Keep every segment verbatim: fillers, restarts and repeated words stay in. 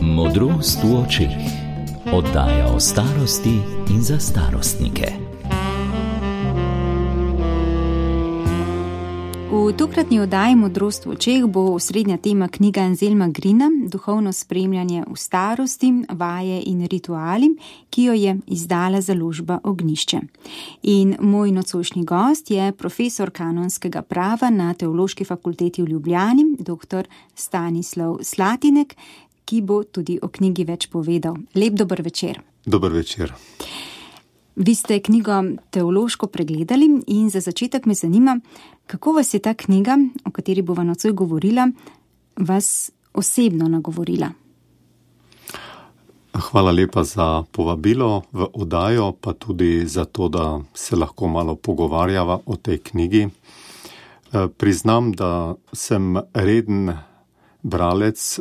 Modrost v očeh. Oddaja o starosti in za starostnike. V tokratni oddaji Modrost v očeh bo osrednja tema knjiga Anselma Grina Duhovno spremljanje v starosti, vaje in rituali, ki jo je izdala založba Ognjišče. In moj nocojšnji gost je profesor kanonskega prava na Teološki fakulteti v Ljubljani, doktor Stanislav Slatinek, ki bo tudi o knjigi več povedal. Lep dober večer. Dober večer. Vi ste knjigo teološko pregledali in za začetek me zanima, kako vas je ta knjiga, o kateri bova nocoj govorila, vas osebno nagovorila? Hvala lepa za povabilo v oddajo, pa tudi za to, da se lahko malo pogovarjava o tej knjigi. Priznam, da sem reden bralec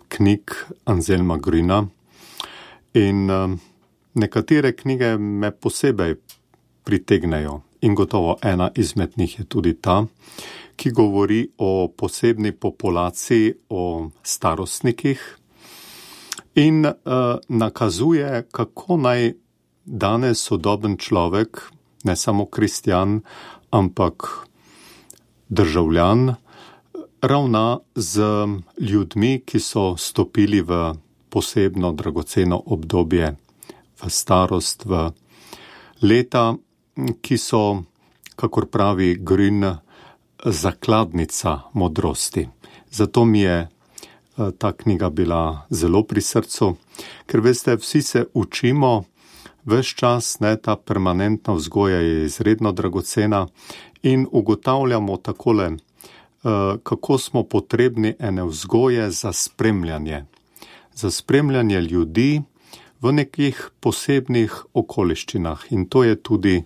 knjig Anselma Grina in nekatere knjige me posebej pritegnejo in gotovo ena izmed njih je tudi ta, ki govori o posebni populaciji, o starostnikih in uh, nakazuje, kako naj danes sodoben človek, ne samo kristjan, ampak državljan, ravna z ljudmi, ki so stopili v posebno dragoceno obdobje, v starost, v leta, ki so, kakor pravi Grün, zakladnica modrosti. Zato mi je ta knjiga bila zelo pri srcu, ker veste, vsi se učimo, ves čas, ne, ta permanentna vzgoja je izredno dragocena in ugotavljamo takole, kako smo potrebni ene vzgoje za spremljanje, za spremljanje ljudi v nekih posebnih okoliščinah in to je tudi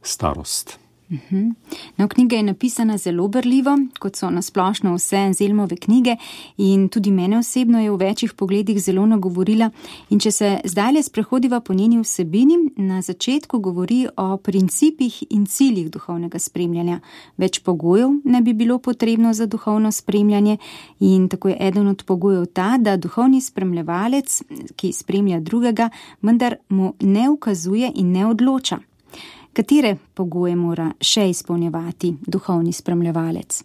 starost. Uh-huh. No, knjiga je napisana zelo berljivo, kot so nasplošno vse Anselmove knjige in tudi mene osebno je v večjih pogledih zelo nagovorila. In če se zdajle sprehodiva po njeni vsebini, na začetku govori o principih in ciljih duhovnega spremljanja. Več pogojev ne bi bilo potrebno za duhovno spremljanje in tako je eden od pogojev ta, da duhovni spremljevalec, ki spremlja drugega, vendar mu ne ukazuje in ne odloča. Katere pogoje mora še izpolnjevati duhovni spremljevalec?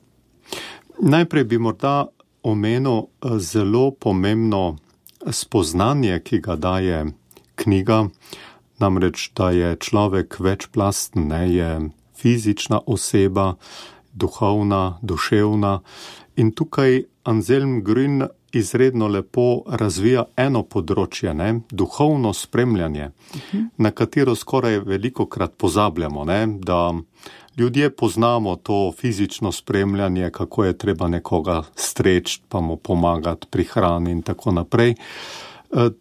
Najprej bi morda omenil zelo pomembno spoznanje, ki ga daje knjiga, namreč, da je človek večplasten, ne, je fizična oseba, duhovna, duševna in tukaj Anselm Grün izredno lepo razvija eno področje, ne, duhovno spremljanje, uh-huh. na katero skoraj velikokrat pozabljamo, ne, da ljudje poznamo to fizično spremljanje, kako je treba nekoga streči, pa mu pomagati pri hrani in tako naprej. Uh,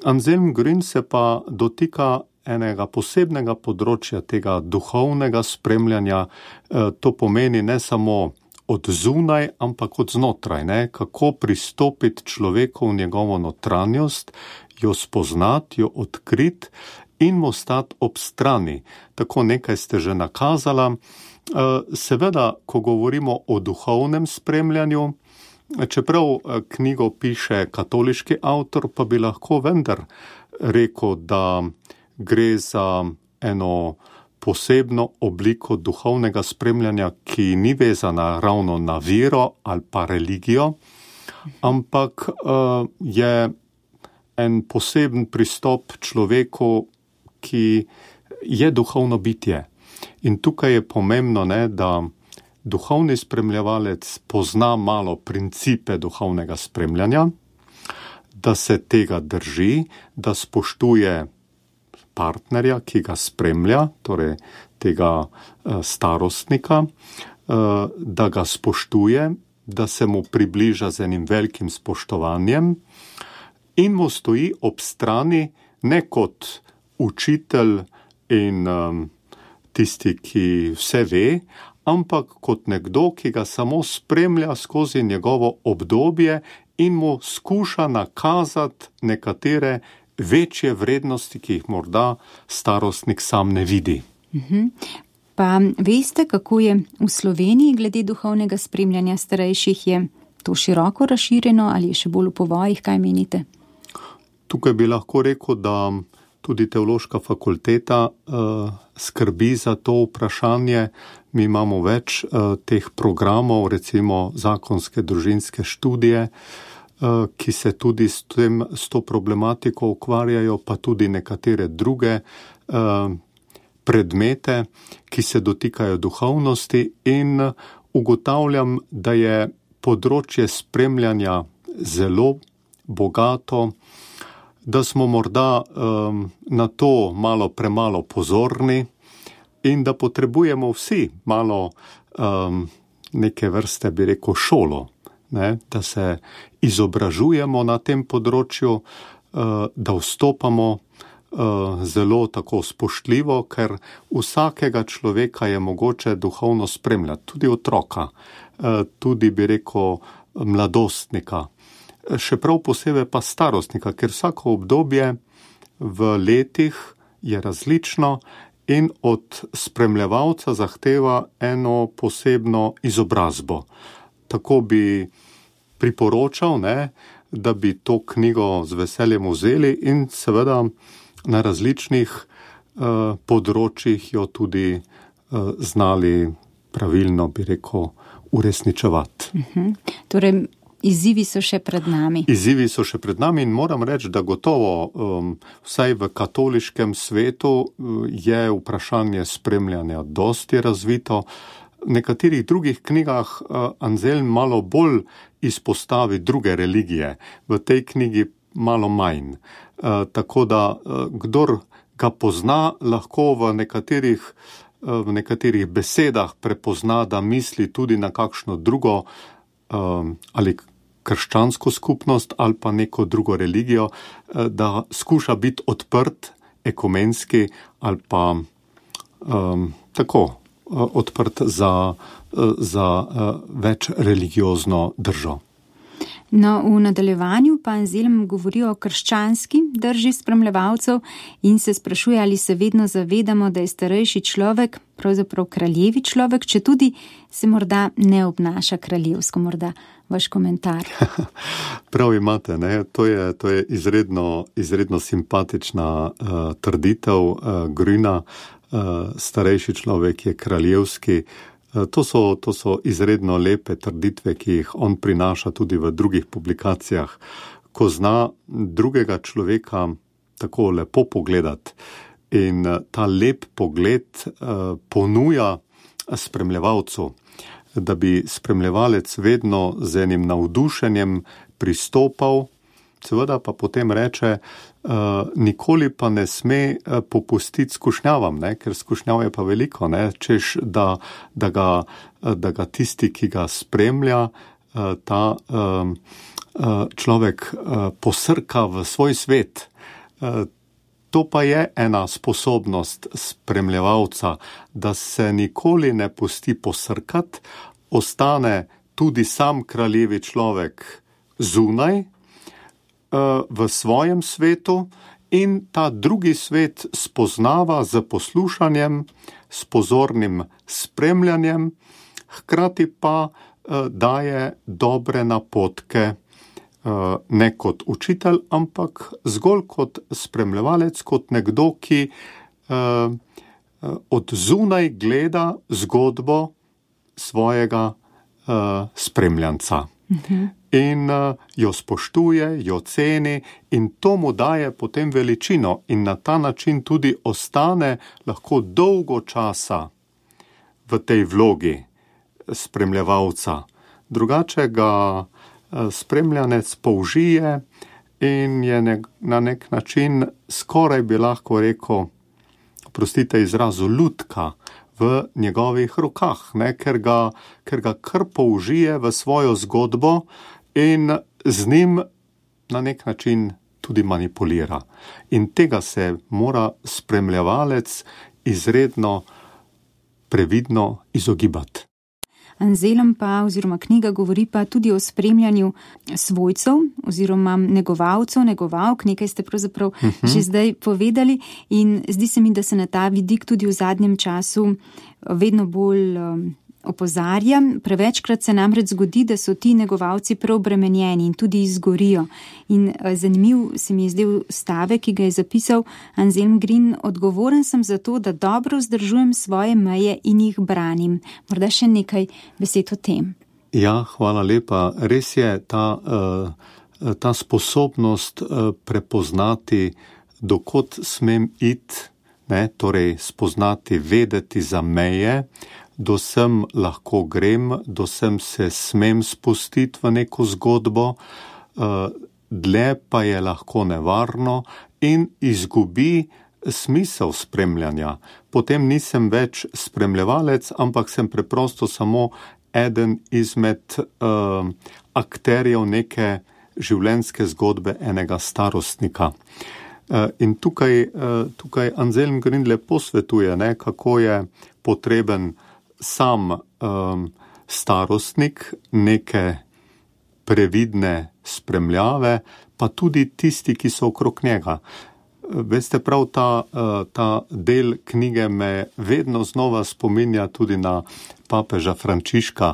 Anselm Grün se pa dotika enega posebnega področja tega duhovnega spremljanja, uh, to pomeni ne samo od zunaj, ampak od znotraj, ne? Kako pristopiti človeku v njegovo notranjost, jo spoznati, jo odkriti in mu stati ob strani. Tako nekaj ste že nakazala. Seveda, ko govorimo o duhovnem spremljanju, čeprav knjigo piše katoliški avtor, pa bi lahko vendar rekel, da gre za eno posebno obliko duhovnega spremljanja, ki ni vezana ravno na vero ali pa religijo, ampak uh, je en poseben pristop človeku, ki je duhovno bitje. In tukaj je pomembno, ne, da duhovni spremljevalec pozna malo principe duhovnega spremljanja, da se tega drži, da spoštuje partnerja, ki ga spremlja, torej tega starostnika, da ga spoštuje, da se mu približa z enim velikim spoštovanjem in mu stoji ob strani ne kot učitelj in tisti, ki vse ve, ampak kot nekdo, ki ga samo spremlja skozi njegovo obdobje in mu skuša nakazati nekatere večje vrednosti, ki jih morda starostnik sam ne vidi. Uh-huh. Pa veste, kako je v Sloveniji glede duhovnega spremljanja starejših? Je to široko razširjeno ali je še bolj v povojih, kaj menite? Tukaj bi lahko rekel, da tudi teološka fakulteta uh, skrbi za to vprašanje. Mi imamo več uh, teh programov, recimo zakonske družinske študije, uh, ki se tudi s, tem, s to problematiko ukvarjajo, pa tudi nekatere druge uh, predmete, ki se dotikajo duhovnosti, in ugotavljam, da je področje spremljanja zelo bogato, da smo morda um, na to malo premalo pozorni in da potrebujemo vsi malo um, neke vrste, bi rekel, šolo, ne? Da se izobražujemo na tem področju, uh, da vstopamo uh, zelo tako spoštljivo, ker vsakega človeka je mogoče duhovno spremljati, tudi otroka, uh, tudi, bi rekel, mladostnika. Še prav posebej pa starostnika, ker vsako obdobje v letih je različno in od spremljevalca zahteva eno posebno izobrazbo. Tako bi priporočal, ne, da bi to knjigo z veseljem vzeli in seveda na različnih uh, področjih jo tudi uh, znali pravilno, bi rekel, uresničevati. Uh-huh. Torej, izzivi so še pred nami. Izzivi so še pred nami in moram reči, da gotovo um, vsaj v katoliškem svetu je vprašanje spremljanja dosti razvito. V nekaterih drugih knjigah uh, Anselm malo bolj izpostavi druge religije, v tej knjigi malo manj. Uh, tako da uh, kdor ga pozna, lahko v nekaterih, uh, v nekaterih besedah prepozna, da misli tudi na kakšno drugo ali krščansko skupnost ali pa neko drugo religijo, da skuša biti odprt, ekumenski ali pa um, tako odprt za, za več religiozno držo. No, v nadaljevanju pa Anselm govori o krščanski drži spremljevalcev in se sprašuje, ali se vedno zavedamo, da je starejši človek pravzaprav kraljevi človek, če tudi se morda ne obnaša kraljevsko. Morda vaš komentar. Prav imate, ne? To je, to je izredno, izredno simpatična uh, trditev uh, Grüna. Uh, starejši človek je kraljevski. To so, to so izredno lepe trditve, ki jih on prinaša tudi v drugih publikacijah. Ko zna drugega človeka tako lepo pogledati in ta lep pogled uh, ponuja spremljevalcu, da bi spremljevalec vedno z enim navdušenjem pristopal, seveda pa potem reče, uh, nikoli pa ne sme uh, popustiti skušnjavam, ne? Ker skušnjav je pa veliko, ne? Češ, da, da, ga, da ga tisti, ki ga spremlja, uh, ta uh, uh, človek uh, posrka v svoj svet. Uh, to pa je ena sposobnost spremljevalca, da se nikoli ne pusti posrkati, ostane tudi sam kraljevi človek zunaj, v svojem svetu in ta drugi svet spoznava z poslušanjem, s pozornim spremljanjem, hkrati pa uh, daje dobre napotke, uh, ne kot učitelj, ampak zgolj kot spremljevalec, kot nekdo, ki uh, od zunaj gleda zgodbo svojega uh, spremljanca. Uh-huh. In uh, jo spoštuje, jo ceni in to mu daje potem veličino in na ta način tudi ostane lahko dolgo časa v tej vlogi spremljevalca. Drugače ga uh, spremljanec použije in je ne, na nek način skoraj bi lahko rekel, oprostite izrazu, lutka v njegovih rokah, ne, ker ga, ker ga kar použije v svojo zgodbo in z njim na nek način tudi manipulira. In tega se mora spremljevalec izredno previdno izogibati. Anselm pa oziroma knjiga govori pa tudi o spremljanju svojcev oziroma negovalcev, negovalk, nekaj ste pravzaprav uh-huh. že zdaj povedali in zdi se mi, da se na ta vidik tudi v zadnjem času vedno bolj um, opozarja, prevečkrat se namreč zgodi, da so ti negovalci preobremenjeni in tudi izgorijo. In zanimiv se mi je zdel stavek, ki ga je zapisal Anselm Green: odgovoren sem za to, da dobro vzdržujem svoje meje in jih branim. Morda še nekaj besed o tem. Ja, hvala lepa. Res je ta, ta sposobnost prepoznati, dokot smem iti, ne, torej spoznati, vedeti za meje, do sem lahko grem, do sem se smem spustiti v neko zgodbo, dlje pa je lahko nevarno in izgubi smisel spremljanja. Potem nisem več spremljevalec, ampak sem preprosto samo eden izmed uh, akterjev neke življenjske zgodbe enega starostnika. Uh, in tukaj, uh, tukaj Anselm Green lepo svetuje, ne, kako je potreben sam um, starostnik, neke previdne spremljave, pa tudi tisti, ki so okrog njega. Veste, prav ta, ta del knjige me vedno znova spominja tudi na papeža Frančiška,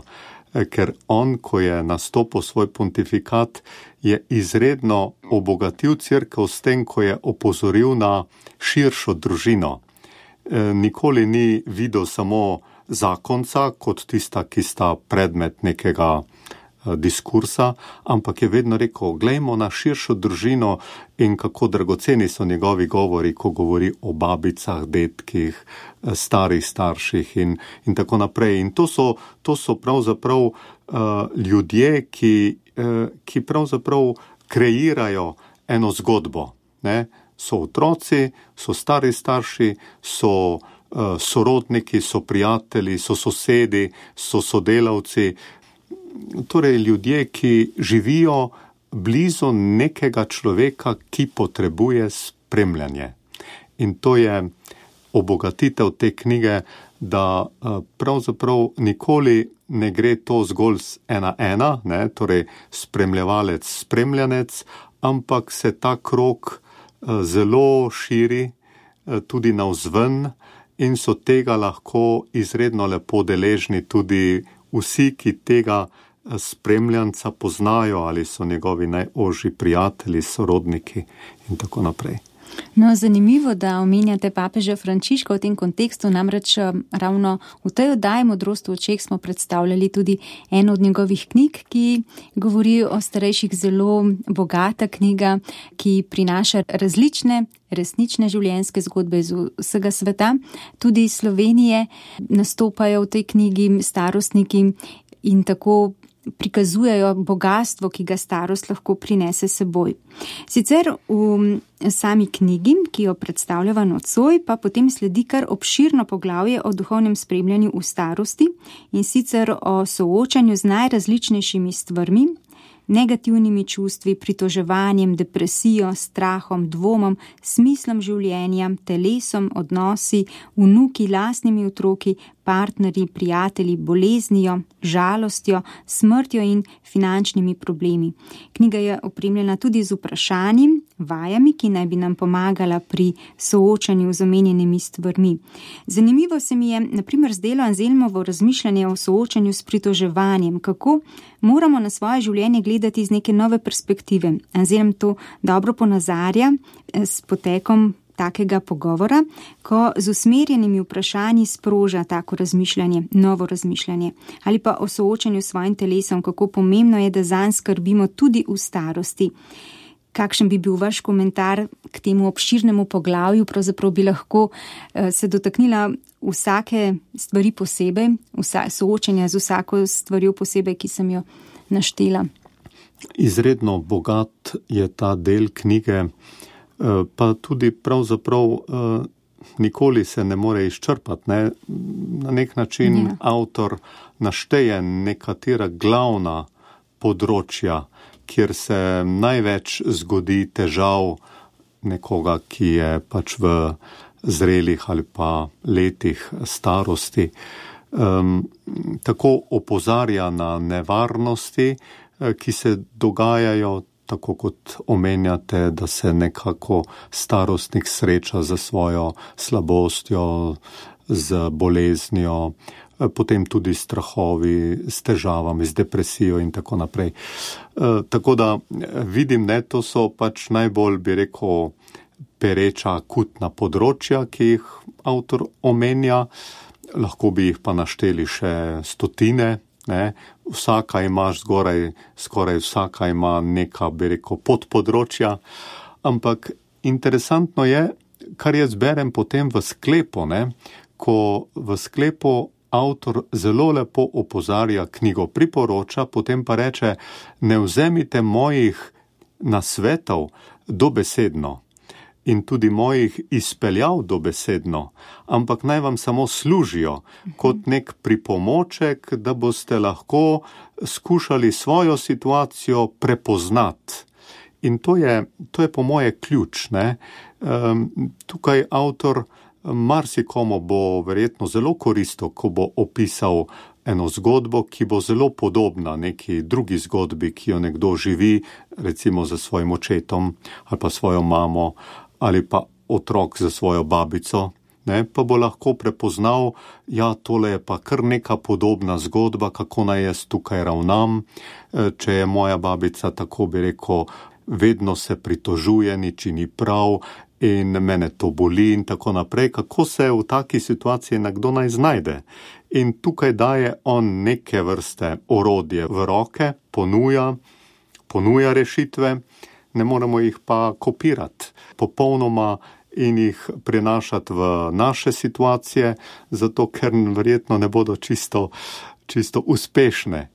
ker on, ko je nastopil svoj pontifikat, je izredno obogatil cerkev s tem, ko je opozoril na širšo družino. Nikoli ni videl samo zakonca kot tista, ki sta predmet nekega diskursa, ampak je vedno rekel, glejmo na širšo družino in kako dragoceni so njegovi govori, ko govori o babicah, detkih, starih starših in, in tako naprej. In to so, to so pravzaprav uh, ljudje, ki, uh, ki pravzaprav kreirajo eno zgodbo. Ne? So otroci, so stari starši, so uh, sorodniki, so prijatelji, so sosedi, so sodelavci. Torej ljudje, ki živijo blizu nekega človeka, ki potrebuje spremljanje. In to je obogatitev te knjige, da pravzaprav nikoli ne gre to zgolj z ena ena, ne, torej spremljevalec, spremljanec, ampak se ta krog zelo širi tudi navzven in so tega lahko izredno lepo deležni tudi vsi, ki tega spremljanca poznajo ali so njegovi najožji prijatelji, sorodniki in tako naprej. No, zanimivo, da omenjate papeža Frančiška v tem kontekstu, namreč ravno v tej oddaji Modrost v očeh smo predstavljali tudi eno od njegovih knjig, ki govori o starejših, zelo bogata knjiga, ki prinaša različne resnične življenjske zgodbe iz vsega sveta. Tudi iz Slovenije nastopajo v tej knjigi starostniki in tako prikazujejo bogastvo, ki ga starost lahko prinese seboj. Sicer v sami knjigi, ki jo predstavljava nocoj, pa potem sledi kar obširno poglavje o duhovnem spremljanju v starosti in sicer o soočanju z najrazličnejšimi stvarmi, negativnimi čustvi, pritoževanjem, depresijo, strahom, dvomom, smislom življenja, telesom, odnosi, vnuki, lastnimi otroki, partnerji, prijatelji, boleznijo, žalostjo, smrtjo in finančnimi problemi. Knjiga je opremljena tudi z vprašanji, vajami, ki naj bi nam pomagala pri soočanju z omenjenimi stvarmi. Zanimivo se mi je, na primer, zdelo Anselmovo razmišljanje o soočanju s pritoževanjem, kako moramo na svoje življenje gledati iz neke nove perspektive. Anselm to dobro ponazarja s potekom takega pogovora, ko z usmerjenimi vprašanji sproža tako razmišljanje, novo razmišljanje, ali pa o soočanju s svojim telesom, kako pomembno je, da zanj skrbimo tudi v starosti. Kakšen bi bil vaš komentar k temu obširnemu poglavju? Pravzaprav bi lahko se dotaknila vsake stvari posebej, vsa, soočenja z vsako stvarjo posebej, ki sem jo naštela. Izredno bogat je ta del knjige, pa tudi pravzaprav nikoli se ne more izčrpati. Ne? Na nek način ja. Avtor našteje nekatera glavna področja, kjer se največ zgodi težav nekoga, ki je pač v zrelih ali pa letih starosti. Um, tako opozarja na nevarnosti, ki se dogajajo, tako kot omenjate, da se nekako starostnik sreča za svojo slabostjo, z boleznijo. potem tudi strahovi, s težavami, z depresijo in tako naprej. Tako da vidim, ne, to so pač najbolj, bi rekel, pereča akutna področja, ki jih avtor omenja. Lahko bi jih pa našteli še stotine. Ne, vsaka ima zgoraj, skoraj vsaka ima neka, bi rekel, podpodročja, ampak interesantno je, kar jaz berem potem v sklepu, ne, ko v sklepu avtor zelo lepo opozarja, knjigo priporoča, potem pa reče, ne vzemite mojih nasvetov dobesedno in tudi mojih izpeljav dobesedno, ampak naj vam samo služijo kot nek pripomoček, da boste lahko skušali svojo situacijo prepoznati. In to je, to je po moje ključ, ne. Um, tukaj avtor marsikomu bo verjetno zelo koristil, ko bo opisal eno zgodbo, ki bo zelo podobna neki drugi zgodbi, ki jo nekdo živi, recimo za svojim očetom ali pa svojo mamo, ali pa otrok za svojo babico, ne, pa bo lahko prepoznal, ja, tole je pa kar neka podobna zgodba, kako naj jaz tukaj ravnam, če je moja babica, tako bi rekel, vedno se pritožuje, nič ni prav in mene to boli in tako naprej, kako se v taki situaciji nekdo naj znajde. In tukaj daje on neke vrste orodje v roke, ponuja, ponuja rešitve, ne moremo jih pa kopirati popolnoma in jih prenašati v naše situacije, zato ker verjetno ne bodo čisto, čisto uspešne.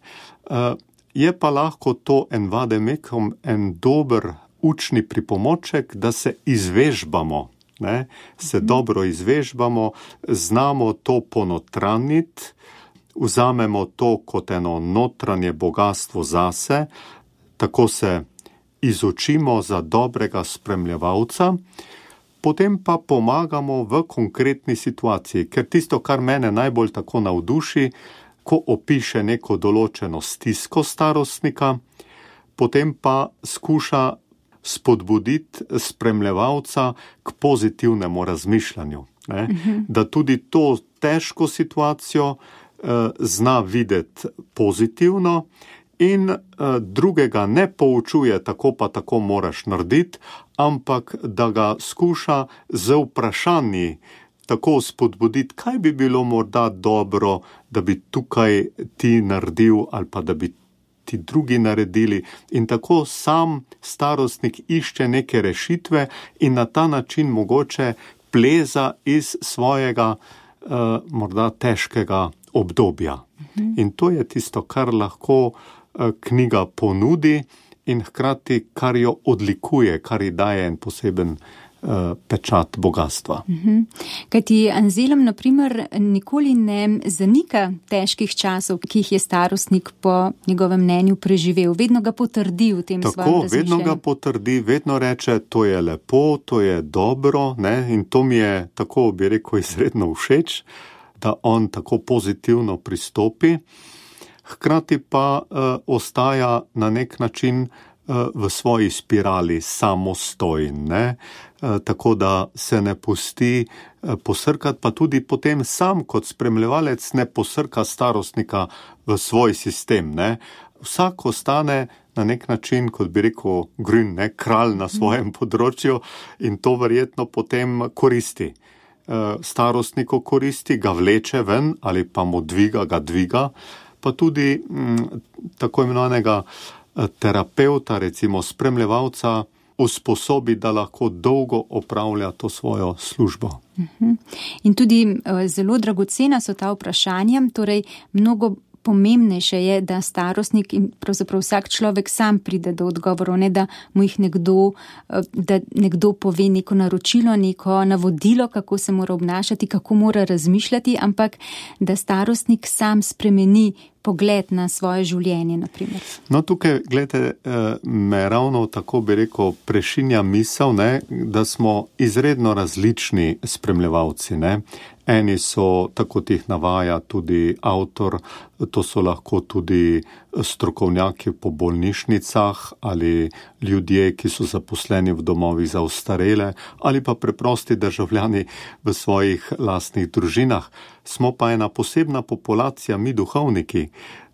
Je pa lahko to en vademekom, en dober učni pripomoček, da se izvežbamo, ne? Se dobro izvežbamo, znamo to ponotraniti, vzamemo to kot eno notranje bogatstvo zase, tako se izučimo za dobrega spremljevalca, potem pa pomagamo v konkretni situaciji, ker tisto, kar mene najbolj tako navduši, ko opiše neko določeno stisko starostnika, potem pa skuša spodbuditi spremljevalca k pozitivnemu razmišljanju, ne? Uh-huh. Da tudi to težko situacijo eh, zna videti pozitivno, in uh, drugega ne poučuje, tako pa tako moraš narediti, ampak da ga skuša z vprašanji tako spodbuditi, kaj bi bilo morda dobro, da bi tukaj ti naredil ali pa da bi ti drugi naredili. In tako sam starostnik išče neke rešitve in na ta način mogoče pleza iz svojega uh, morda težkega obdobja. Mhm. In to je tisto, kar lahko knjiga ponudi in hkrati, kar jo odlikuje, kar ji daje en poseben uh, pečat bogatstva. Uh-huh. Kajti Anselm, na primer, nikoli ne zanika težkih časov, ki jih je starostnik po njegovem mnenju preživel. Vedno ga potrdi v tem tako, svojem razmišljanju. Vedno ga potrdi, vedno reče, to je lepo, to je dobro, ne? In to mi je, tako bi rekel, izredno všeč, da on tako pozitivno pristopi. Hkrati pa uh, ostaja na nek način uh, v svoji spirali samostojen, ne? Uh, tako da se ne pusti uh, posrkati, pa tudi potem sam kot spremljevalec ne posrka starostnika v svoj sistem, ne? Vsak ostane na nek način, kot bi rekel Grün, ne? Kralj na svojem področju in to verjetno potem koristi. Uh, starostniku koristi, ga vleče ven ali pa mu dviga, ga dviga, pa tudi m, tako imenovanega terapeuta, recimo spremljevalca, usposobi, da lahko dolgo opravlja to svojo službo. Uh-huh. In tudi uh, zelo dragocena so ta vprašanja, torej mnogo pomembnejše je, da starostnik in pravzaprav vsak človek sam pride do odgovorov, ne da mu jih nekdo, da nekdo pove neko naročilo, neko navodilo, kako se mora obnašati, kako mora razmišljati, ampak da starostnik sam spremeni pogled na svoje življenje, na primer. No, tukaj, gledajte, me ravno tako bi rekel prešinja misel, ne, da smo izredno različni spremljevalci, ne. Eni so, tako tih navaja tudi avtor, to so lahko tudi strokovnjaki po bolnišnicah ali ljudje, ki so zaposleni v domovih za ostarele ali pa preprosti državljani v svojih lastnih družinah. Smo pa ena posebna populacija, mi duhovniki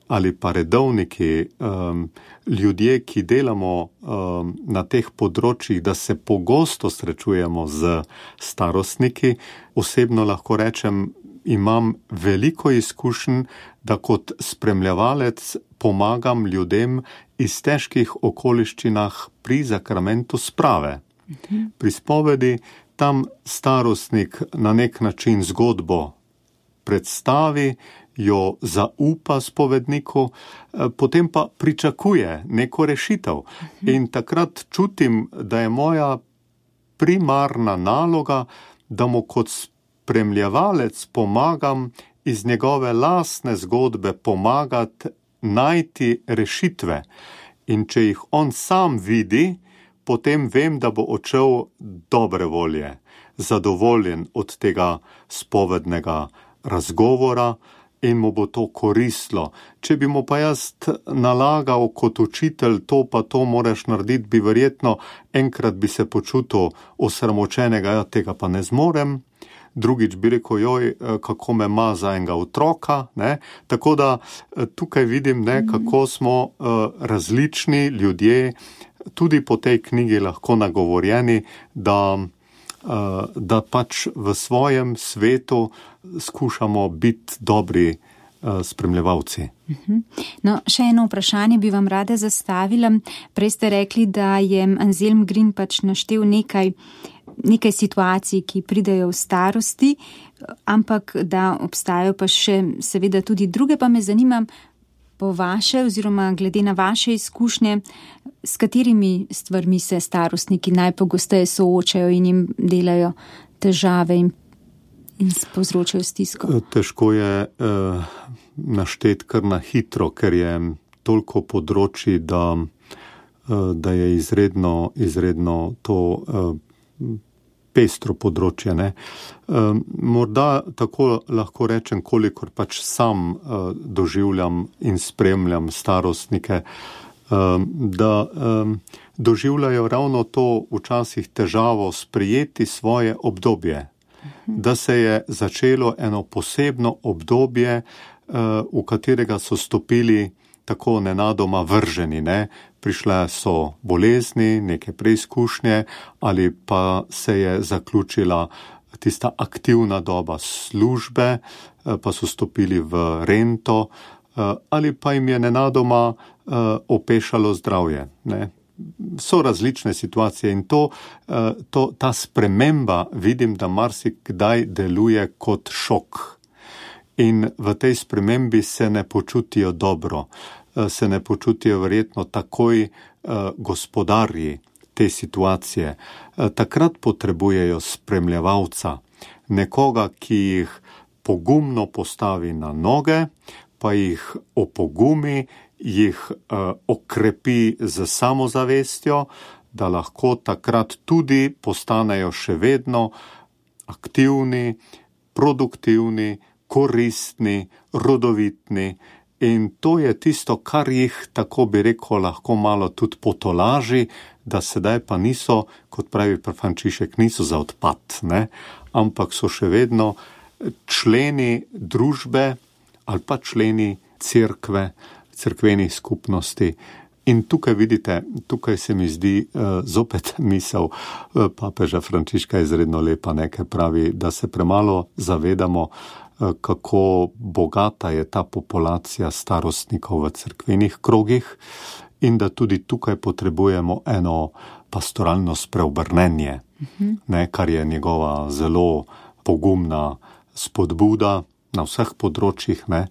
ali pa redovniki, um, ljudje, ki delamo um, na teh področjih, da se pogosto srečujemo z starostniki. Osebno lahko rečem, imam veliko izkušenj, da kot spremljevalec pomagam ljudem iz težkih okoliščinah pri zakramentu sprave. Mhm. Pri spovedi tam starostnik na nek način zgodbo predstavi, jo zaupa spovedniku, potem pa pričakuje neko rešitev. In takrat čutim, da je moja primarna naloga, da mu kot spremljevalec pomagam iz njegove lastne zgodbe pomagati najti rešitve. In če jih on sam vidi, potem vem, da bo odšel dobre volje, zadovoljen od tega spovednega razgovora, in mu bo to koristilo. Če bi mu pa jaz nalagal kot učitelj, to pa to moraš narediti, bi verjetno enkrat bi se počutil osramočenega, ja, tega pa ne zmorem. Drugič bi rekel, joj, kako me ima za enega otroka, ne? Tako da tukaj vidim, ne, kako smo uh, različni ljudje, tudi po tej knjigi lahko nagovorjeni, da da pač v svojem svetu skušamo biti dobri spremljevalci. No, še eno vprašanje bi vam rada zastavila. Prej ste rekli, da je Anselm Green pač naštel nekaj, nekaj situacij, ki pridejo v starosti, ampak da obstajajo pa še seveda tudi druge, pa me zanima, po vaše oziroma glede na vaše izkušnje, s katerimi stvarmi se starostniki najpogosteje soočajo in jim delajo težave in, in povzročajo stisko? Težko je eh, našteti kar na hitro, ker je toliko področji, da, eh, da je izredno, izredno to eh, pestro področje, ne. Um, morda tako lahko rečem, kolikor pač sam uh, doživljam in spremljam starostnike, um, da um, doživljajo ravno to včasih težavo sprejeti svoje obdobje. Mhm. Da se je začelo eno posebno obdobje, uh, v katerega so stopili tako nenadoma vrženi, ne. Prišle so bolezni, neke preizkušnje ali pa se je zaključila tista aktivna doba službe, pa so stopili v rento ali pa jim je nenadoma opešalo zdravje, ne. So različne situacije in to, to, ta sprememba vidim, da marsikdaj deluje kot šok. In v tej spremembi se ne počutijo dobro. Se ne počutijo verjetno takoj uh, gospodarji te situacije. Uh, takrat potrebujejo spremljevalca, nekoga, ki jih pogumno postavi na noge, pa jih opogumi, jih uh, okrepi z samozavestjo, da lahko takrat tudi postanejo še vedno aktivni, produktivni, koristni, rodovitni. In to je tisto, kar jih, tako bi rekel, lahko malo tudi potolaži, da sedaj pa niso, kot pravi Frančišek, niso za odpad, ne? Ampak so še vedno členi družbe ali pa členi cerkve, cerkvenih skupnosti. In tukaj vidite, tukaj se mi zdi uh, zopet misel uh, papeža Frančiška izredno lepa, nekaj pravi, da se premalo zavedamo, kako bogata je ta populacija starostnikov v cerkvenih krogih in da tudi tukaj potrebujemo eno pastoralno spreobrnenje, uh-huh. ne, kar je njegova zelo pogumna spodbuda na vseh področjih, ne,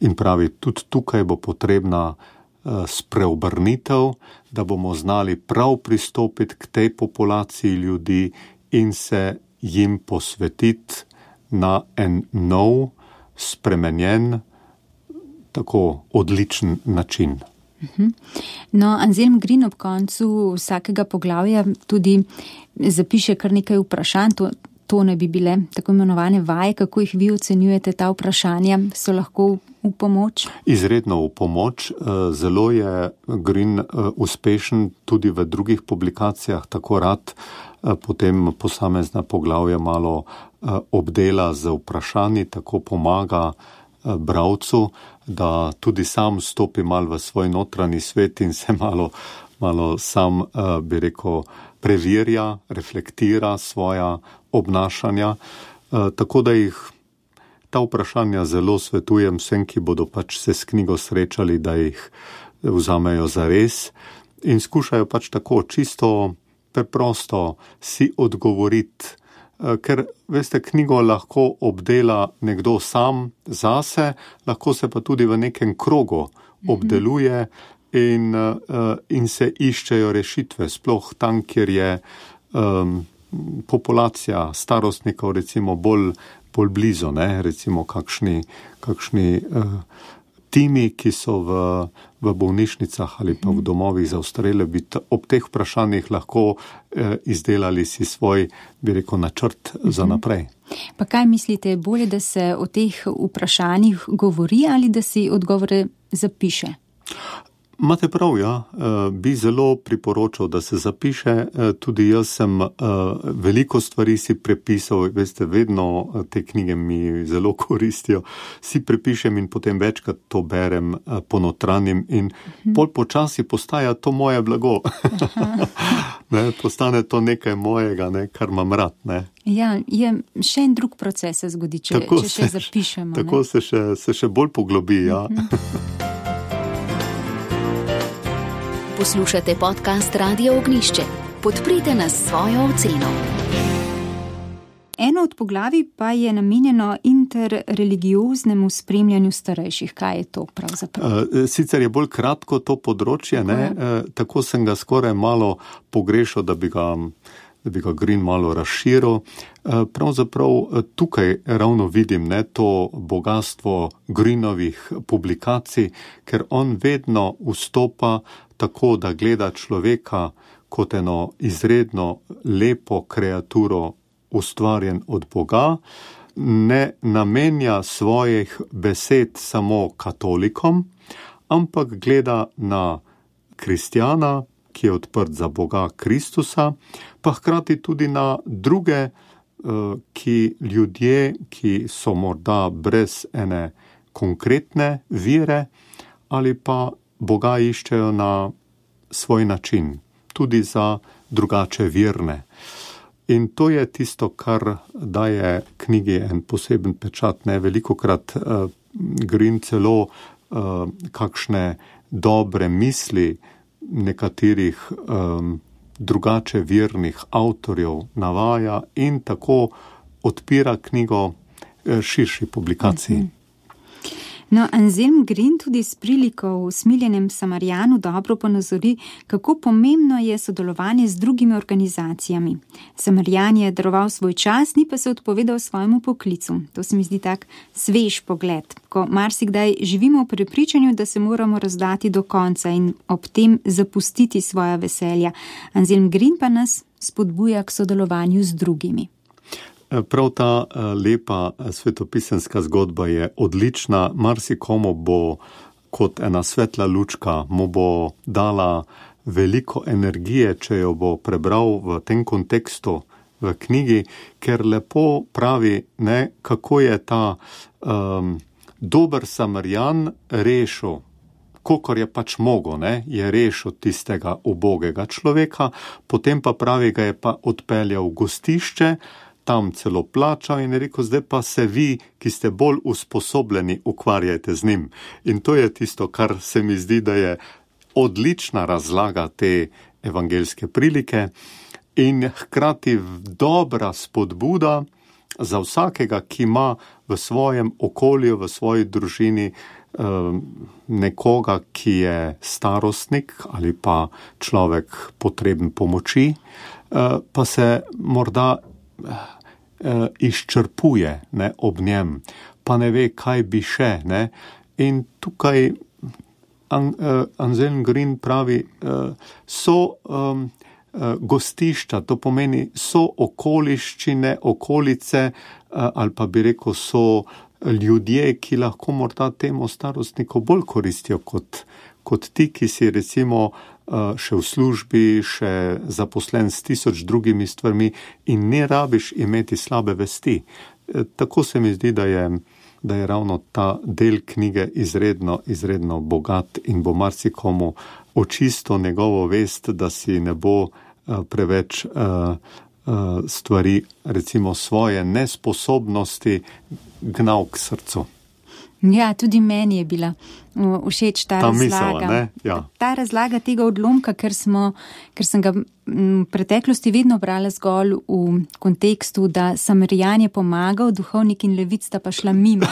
in pravi, tudi tukaj bo potrebna uh, spreobrnitev, da bomo znali prav pristopiti k tej populaciji ljudi in se jim posvetiti na en nov, spremenjen, tako odličen način. No, Anselm Green ob koncu vsakega poglavja tudi zapiše kar nekaj vprašanj, to, to ne bi bile tako imenovane vaje, kako jih vi ocenjujete, ta vprašanja so lahko v pomoč? Izredno v pomoč. Zelo je Green uspešen tudi v drugih publikacijah, tako rad potem posamezna poglavja malo obdela z vprašanji, tako pomaga bralcu, da tudi sam stopi malo v svoj notranji svet in se malo, malo sam, bi rekel, preverja, reflektira svoja obnašanja. Tako da jih ta vprašanja zelo svetujem vsem, ki bodo pač se s knjigo srečali, da jih vzamejo za res in skušajo pač tako čisto preprosto si odgovoriti. Ker, veste, knjigo lahko obdela nekdo sam zase, lahko se pa tudi v nekem krogu obdeluje in, in se iščejo rešitve, sploh tam, kjer je um, populacija starostnikov recimo bolj, bolj blizu, ne? Recimo kakšni, kakšni uh, timi, ki so v, v bolnišnicah ali pa v domovih za ostarele, bi t- ob teh vprašanjih lahko eh, izdelali si svoj, bi rekel, načrt uh-huh. za naprej. Pa kaj mislite, bolje, da se o teh vprašanjih govori ali da si odgovore zapiše? Imate prav, ja. Bi zelo priporočal, da se zapiše. Tudi jaz sem veliko stvari si prepisal, veste, vedno te knjige mi zelo koristijo. Si prepišem in potem večkrat to berem, ponotranjim in mhm. bolj počasi postaja to moje blago. Ne, postane to nekaj mojega, ne, kar imam rad. Ne. Ja, je še en drug proces se zgodi, če, če se, še zapišemo. Tako se še, se še bolj poglobi, ja. Mhm. Poslušate podcast Radio Ognjišče. Podprite nas s svojo oceno. Eno od poglavij pa je namenjeno interreligioznemu spremljanju starejših. Kaj je to pravzaprav? Sicer je bolj kratko to področje, ne? Tako sem ga skoraj malo pogrešal, da bi ga, da bi ga Green malo razširil. Pravzaprav tukaj ravno vidim, ne, to bogatstvo Greenovih publikacij, ker on vedno vstopa tako, da gleda človeka kot eno izredno lepo kreaturo, ustvarjen od Boga, ne namenja svojih besed samo katolikom, ampak gleda na kristjana, ki je odprt za Boga Kristusa, pa hkrati tudi na druge, ki ljudje, ki so morda brez ene konkretne vire ali pa Boga iščejo na svoj način, tudi za drugače verne. In to je tisto, kar daje knjigi en poseben pečat. Ne? Velikokrat uh, Green celo uh, kakšne dobre misli nekaterih um, drugače vernih avtorjev navaja in tako odpira knjigo uh, širši publikaciji. Mm-hmm. No, Anselm Green tudi s priliko v Smiljenem Samarijanu dobro ponazori, kako pomembno je sodelovanje z drugimi organizacijami. Samarijan je daroval svoj čas, ni pa se odpovedal svojemu poklicu. To se mi zdi tak svež pogled, ko marsikdaj živimo v prepričanju, da se moramo razdati do konca in ob tem zapustiti svoja veselja. Anselm Green pa nas spodbuja k sodelovanju z drugimi. Prav ta lepa svetopisemska zgodba je odlična, marsikomu bo kot ena svetla lučka, mu bo dala veliko energije, če jo bo prebral v tem kontekstu v knjigi, ker lepo pravi, ne, kako je ta um, dober Samarijan rešil, kolikor je pač mogo, ne, je rešil tistega ubogega človeka, potem pa pravi, ga je pa odpeljal v gostišče, tam celo plačal in je rekel, zdaj pa se vi, ki ste bolj usposobljeni, ukvarjajte z njim. In to je tisto, kar se mi zdi, da je odlična razlaga te evangeljske prilike in hkrati dobra spodbuda za vsakega, ki ima v svojem okolju, v svoji družini nekoga, ki je starostnik ali pa človek potreben pomoči, pa se morda izčrpuje, ne, ob njem, pa ne ve, kaj bi še. Ne. In tukaj An, uh, Anselm Green pravi, uh, so um, gostišča, to pomeni so okoliščine, okolice ali pa bi rekel so ljudje, ki lahko morda temu starostniku bolj koristijo kot, kot ti, ki si recimo še v službi, še zaposlen s tisoč drugimi stvarmi in ne rabiš imeti slabe vesti. Tako se mi zdi, da je, da je ravno ta del knjige izredno, izredno bogat in bo marsikomu očisto njegovo vest, da si ne bo preveč stvari, recimo svoje nesposobnosti, gnal k srcu. Ja, tudi meni je bila všeč ta, ta razlaga. Misel, ja. Ta razlaga tega odlomka, ker, smo, ker sem ga v preteklosti vedno brala zgolj v kontekstu, da Samarijan je pomagal, duhovnik in levit sta pa šla mimo.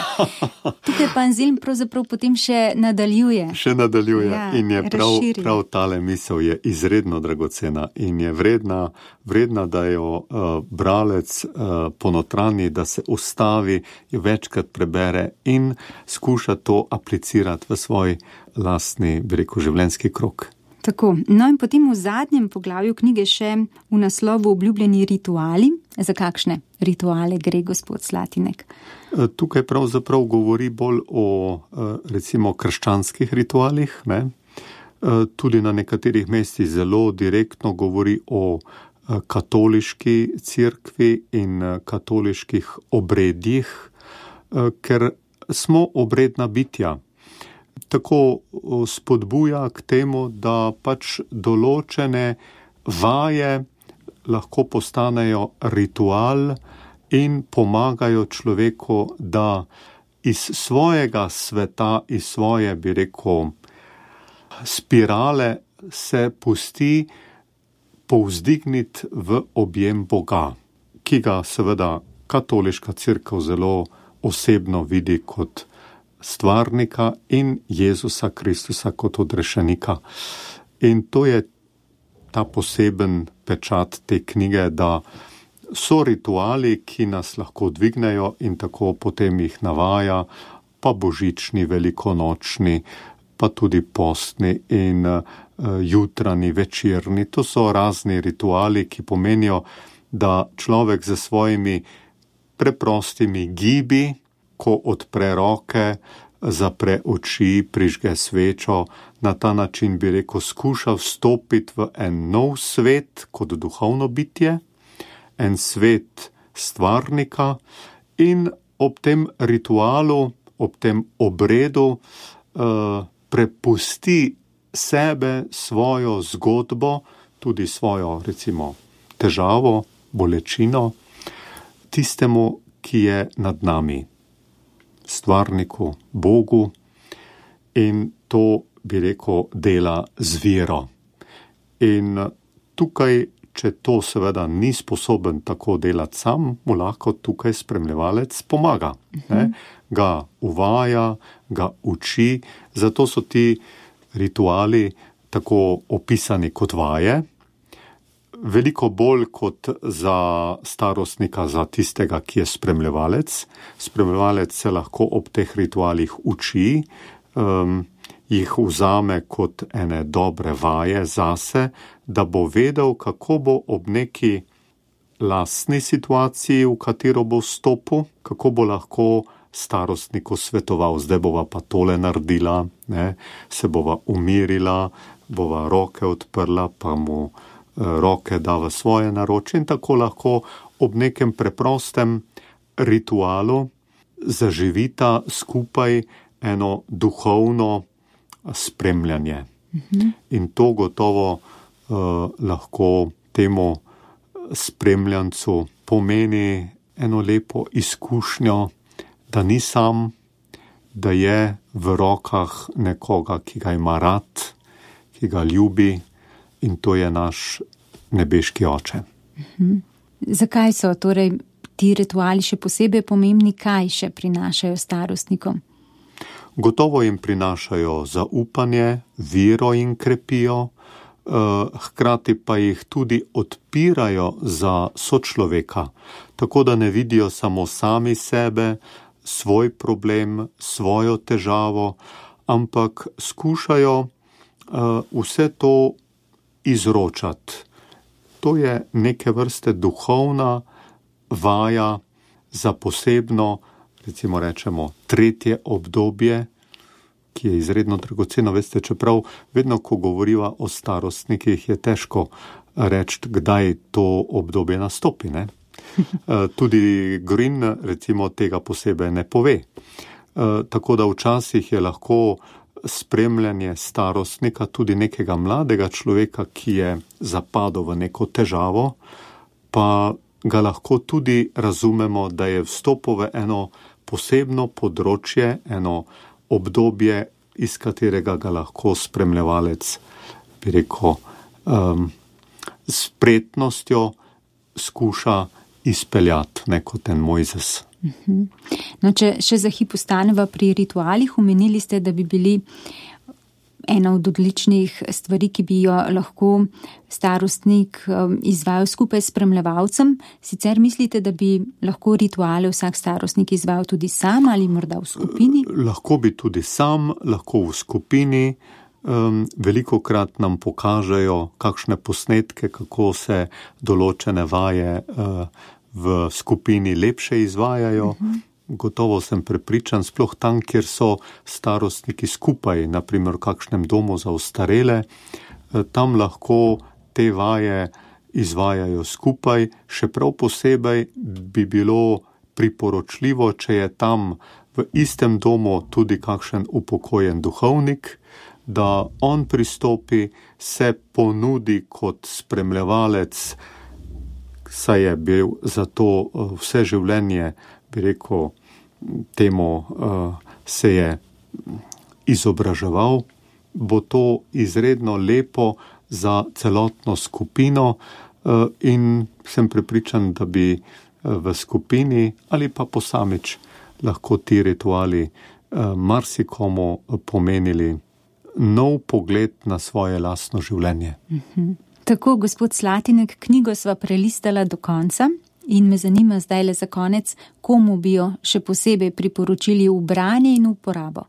Tukaj pa Anselm pravzaprav potem še nadaljuje. Še nadaljuje ja, in je prav, prav tale misel je izredno dragocena in je vredna, vredna da jo uh, bralec uh, ponotrani, da se ustavi, jo večkrat prebere in skuša to aplicirati v svoj lastni, bi rekel, življenjski krog. Tako, no in potem v zadnjem poglavju knjige še v naslovu obljubljeni rituali. Za kakšne rituale gre, gospod Slatinek? Tukaj pravzaprav govori bolj o recimo krščanskih ritualih, ne? Tudi na nekaterih mestih zelo direktno govori o katoliški cerkvi in katoliških obredjih, ker smo obredna bitja. Tako spodbuja k temu, da pač določene vaje lahko postanejo ritual in pomagajo človeku, da iz svojega sveta, iz svoje, bi rekel, spirale se pusti povzdigniti v objem Boga, ki ga seveda katoliška cerkev zelo osebno vidi kot stvarnika in Jezusa Kristusa kot odrešenika. In to je ta poseben pečat te knjige, da so rituali, ki nas lahko dvignejo in tako potem jih navaja, pa božični, velikonočni, pa tudi postni in uh, jutranji, večerni. To so razni rituali, ki pomenijo, da človek za svojimi preprostimi gibi, ko odpre roke, zapre oči, prižge svečo, na ta način bi rekel, skuša vstopiti v en nov svet kot duhovno bitje, en svet stvarnika in ob tem ritualu, ob tem obredu uh, prepusti sebe, svojo zgodbo, tudi svojo, recimo, težavo, bolečino, tistemu, ki je nad nami, stvarniku, Bogu, in to, bi rekel, dela z vero. In tukaj, če to seveda ni sposoben tako delati sam, mu lahko tukaj spremljevalec pomaga. Ne? Ga uvaja, ga uči, zato so ti rituali tako opisani kot vaje, veliko bolj kot za starostnika, za tistega, ki je spremljevalec. Spremljevalec se lahko ob teh ritualih uči, um, jih vzame kot ene dobre vaje zase, da bo vedel, kako bo ob neki lastni situaciji, v katero bo vstopil, kako bo lahko starostniku svetoval, zdaj bova pa tole naredila, ne? Se bova umirila, bova roke odprla, pa mu roke da v svoje naročje in tako lahko ob nekem preprostem ritualu zaživita skupaj eno duhovno spremljanje. Mhm. In to gotovo uh, lahko temu spremljancu pomeni eno lepo izkušnjo, da ni sam, da je v rokah nekoga, ki ga ima rad, ki ga ljubi, in to je naš nebeški oče. Mhm. Zakaj so torej ti rituali še posebej pomembni, kaj še prinašajo starostnikom? Gotovo jim prinašajo zaupanje, vero jim krepijo, eh, hkrati pa jih tudi odpirajo za sočloveka, tako da ne vidijo samo sami sebe, svoj problem, svojo težavo, ampak skušajo uh, vse to izročati to je neke vrste duhovna vaja za posebno, recimo rečemo, tretje obdobje, ki je izredno dragoceno. Veste, čeprav vedno, ko govoriva o starostnikih, je težko reči, kdaj to obdobje nastopi, ne? Tudi Green, recimo, tega posebej ne pove. Tako da včasih je lahko spremljanje starostnika, tudi nekega mladega človeka, ki je zapadel v neko težavo, pa ga lahko tudi razumemo, da je vstopil v eno posebno področje, eno obdobje, iz katerega ga lahko spremljevalec, bi rekel, um, spretnostjo skuša izpeljati, ne kot en Mojzes. No, če še za hip ostaneva pri ritualih, omenili ste, da bi bili ena od odličnih stvari, ki bi jo lahko starostnik izvajal skupaj s spremljevalcem. Sicer mislite, da bi lahko rituale vsak starostnik izvajal tudi sam ali morda v skupini? Lahko bi tudi sam, lahko v skupini. Um, velikokrat nam pokažejo kakšne posnetke, kako se določene vaje uh, v skupini lepše izvajajo. Uh-huh. Gotovo sem prepričan, sploh tam, kjer so starostniki skupaj, naprimer v kakšnem domu za ostarele, tam lahko te vaje izvajajo skupaj. Še prav posebej bi bilo priporočljivo, če je tam v istem domu tudi kakšen upokojen duhovnik, da on pristopi, se ponudi kot spremljevalec, saj je bil za to vse življenje, bi rekel, temu se je izobraževal, bo to izredno lepo za celotno skupino in sem prepričan, da bi v skupini ali pa posamič lahko ti rituali marsikomu pomenili nov pogled na svoje lastno življenje. Mhm. Tako, gospod Slatinek, knjigo sva prelistala do konca in me zanima zdaj le za konec, komu bi jo še posebej priporočili v branje in uporabo.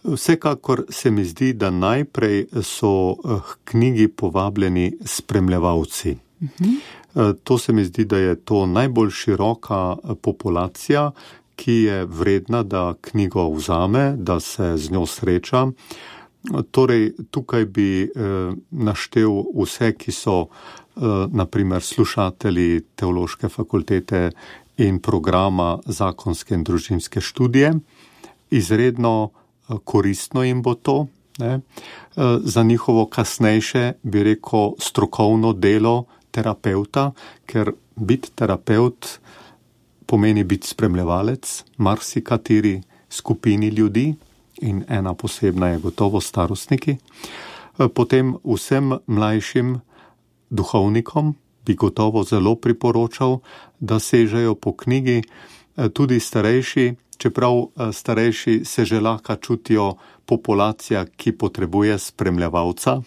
Vsekakor se mi zdi, da najprej so k knjigi povabljeni spremljevalci. Uh-huh. To se mi zdi, da je to najbolj široka populacija, ki je vredna, da knjigo vzame, da se z njo sreča. Torej, tukaj bi eh, naštel vse, ki so eh, naprimer slušatelji teološke fakultete in programa zakonske in družinske študije. Izredno eh, koristno jim bo to, ne? Eh, za njihovo kasnejše, bi rekel, strokovno delo terapeuta, ker biti terapeut pomeni biti spremljevalec marsikateri skupini ljudi, in ena posebna je gotovo starostniki. Potem vsem mlajšim duhovnikom bi gotovo zelo priporočal, da sežejo po knjigi, tudi starejši, čeprav starejši se že lahko čutijo populacija, ki potrebuje spremljevalca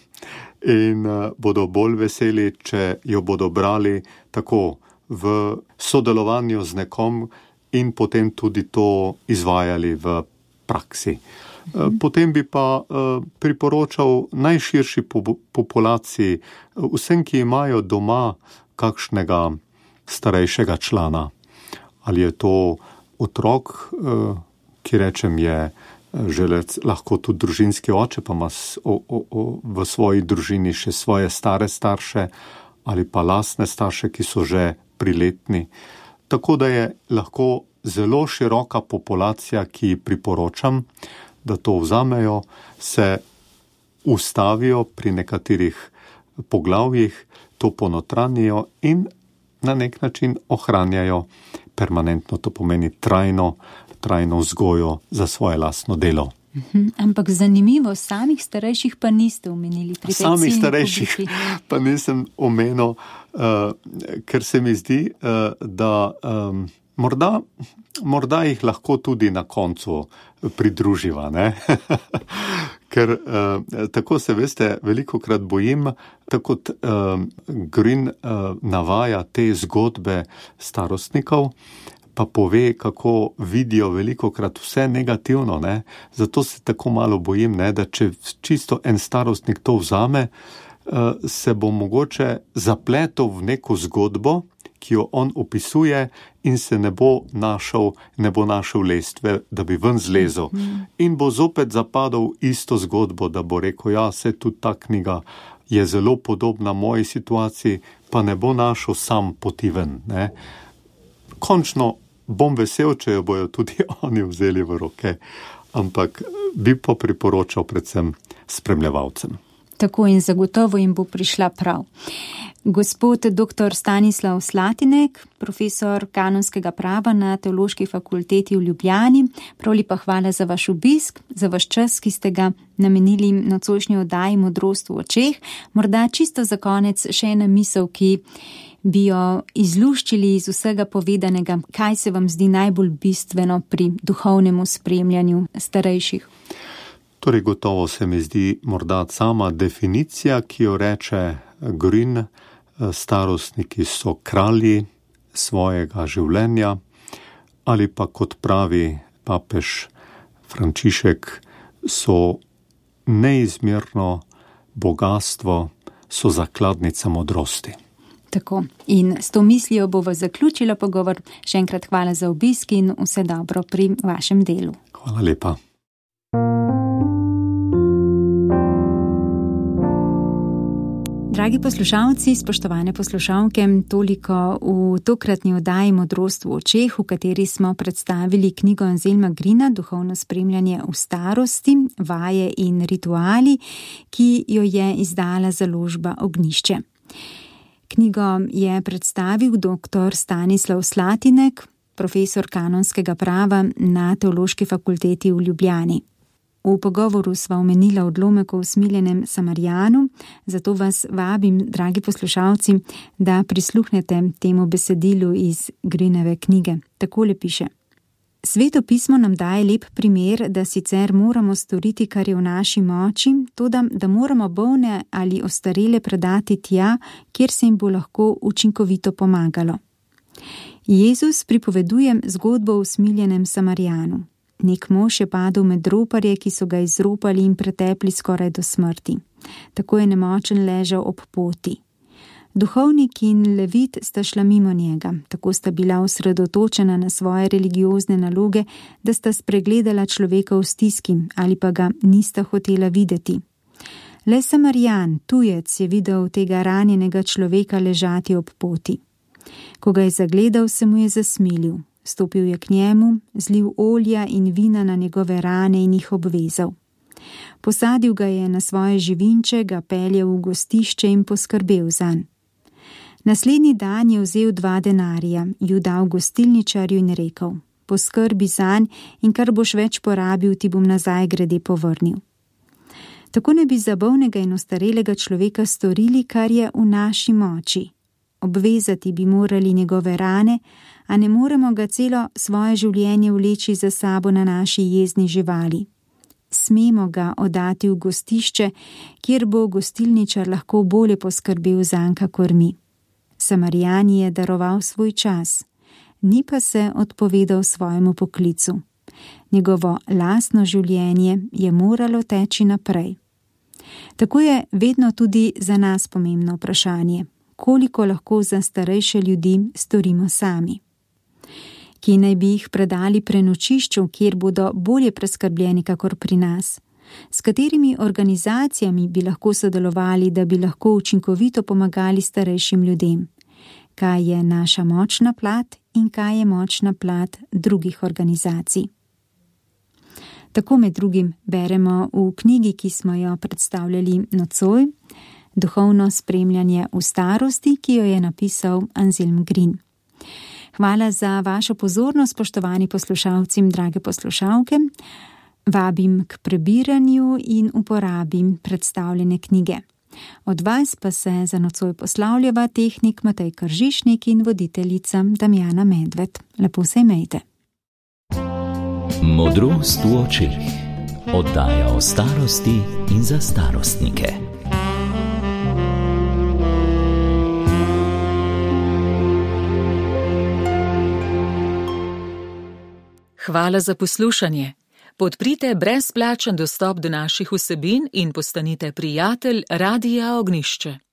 in bodo bolj veseli, če jo bodo brali tako v sodelovanju z nekom in potem tudi to izvajali v praksi. Potem bi pa priporočal najširši populaciji, vsem, ki imajo doma kakšnega starejšega člana. Ali je to otrok, ki rečem je želec, lahko tudi družinski oče, pa ima o, o, o, v svoji družini še svoje stare starše ali pa lastne starše, ki so že priletni. Tako da je lahko zelo široka populacija, ki priporočam, da to vzamejo, se ustavijo pri nekaterih poglavjih, to ponotranijo in na nek način ohranjajo permanentno, to pomeni trajno, trajno vzgojo za svoje lastno delo. Uhum, ampak zanimivo, samih starejših pa niste omenili pri tej ciljni publiki. Samih starejših pa nisem omenil, uh, ker se mi zdi, uh, da um, morda, morda jih lahko tudi na koncu pridruživa, ne? Ker uh, tako se, veste, velikokrat bojim, tako kot uh, Green uh, navaja te zgodbe starostnikov, pa pove, kako vidijo velikokrat vse negativno, ne? Zato se tako malo bojim, ne? Da če čisto en starostnik to vzame, se bo mogoče zapletel v neko zgodbo, ki jo on opisuje in se ne bo našel, ne bo našel lestve, da bi ven zlezel. In bo zopet zapadal isto zgodbo, da bo rekel, ja, se tudi ta knjiga je zelo podobna moji situaciji, pa ne bo našel sam poti ven. Ne? Končno bom vesel, če jo bojo tudi oni vzeli v roke, ampak bi pa priporočal predvsem spremljevalcem. Tako in zagotovo jim bo prišla prav. Gospod doktor Stanislav Slatinek, profesor kanonskega prava na Teološki fakulteti v Ljubljani, prav lepa hvala za vaš obisk, za vaš čas, ki ste ga namenili nocojšnji oddaji Modrost v očeh. Morda čisto za konec še ena misel, ki bi jo izluščili iz vsega povedanega. Kaj se vam zdi najbolj bistveno pri duhovnemu spremljanju starejših? Torej, gotovo se mi zdi morda sama definicija, ki jo reče Green, starostniki so kralji svojega življenja, ali pa kot pravi papež Frančišek, so neizmerno bogatstvo, so zakladnica modrosti. Tako, in s to mislijo bova zaključila pogovor. Še enkrat hvala za obisk in vse dobro pri vašem delu. Hvala lepa. Dragi poslušalci, spoštovane poslušalke, toliko v tokratni oddaji Modrost v očeh, v kateri smo predstavili knjigo Anselma Greena Duhovno spremljanje v starosti, vaje in rituali, ki jo je izdala založba Ognjišče. Knjigo je predstavil doktor Stanislav Slatinek, profesor kanonskega prava na Teološki fakulteti v Ljubljani. V pogovoru sva omenila odlomek o usmiljenem Samarijanu, zato vas vabim, dragi poslušalci, da prisluhnete temu besedilu iz Greenove knjige. Takole piše. Sveto pismo nam daje lep primer, da sicer moramo storiti, kar je v naši moči, toda da moramo bolne ali ostarele predati tja, kjer se jim bo lahko učinkovito pomagalo. Jezus pripoveduje zgodbo o usmiljenem Samarijanu. Nek mož je padel med roparje, ki so ga izropali in pretepli skoraj do smrti. Tako je nemočen ležal ob poti. Duhovnik in levit sta šla mimo njega, tako sta bila osredotočena na svoje religiozne naloge, da sta spregledala človeka v stiski ali pa ga nista hotela videti. Le Samarijan, tujec, je videl tega ranjenega človeka ležati ob poti. Ko ga je zagledal, se mu je zasmilil. Stopil je k njemu, zlil olja in vina na njegove rane in jih obvezal. Posadil ga je na svoje živinče, ga peljal v gostišče in poskrbel zanj. Naslednji dan je vzel dva denarja, ju dal gostilničarju in rekel: poskrbi zanj in kar boš več porabil, ti bom nazaj grede povrnil. Tako ne bi za bolnega in ostarelega človeka storili, kar je v naši moči. Obvezati bi morali njegove rane, a ne moremo ga celo svoje življenje vleči za sabo na naši jezni živali. Smemo ga oddati v gostišče, kjer bo gostilničar lahko bolje poskrbel zanj kakor mi. Samarijan je daroval svoj čas, ni pa se odpovedal svojemu poklicu. Njegovo lastno življenje je moralo teči naprej. Tako je vedno tudi za nas pomembno vprašanje, koliko lahko za starejše ljudi storimo sami. Ki naj bi jih predali prenočišču, kjer bodo bolje preskrbljeni kakor pri nas. S katerimi organizacijami bi lahko sodelovali, da bi lahko učinkovito pomagali starejšim ljudem? Kaj je naša močna plat in kaj je močna plat drugih organizacij? Tako med drugim beremo v knjigi, ki smo jo predstavljali nocoj, Duhovno spremljanje v starosti, ki jo je napisal Anselm Green. Hvala za vašo pozornost, spoštovani poslušalci in drage poslušalke. Vabim k prebiranju in uporabim predstavljene knjige. Od vas pa se za nocoj poslavljava tehnik Matej Kržišnik in voditeljica Damjana Medved. Lepo se imejte. Modrost v očeh. Oddaja o starosti in za starostnike. Hvala za poslušanje. Podprite brezplačen dostop do naših vsebin in postanite prijatelj Radia Ognjišče.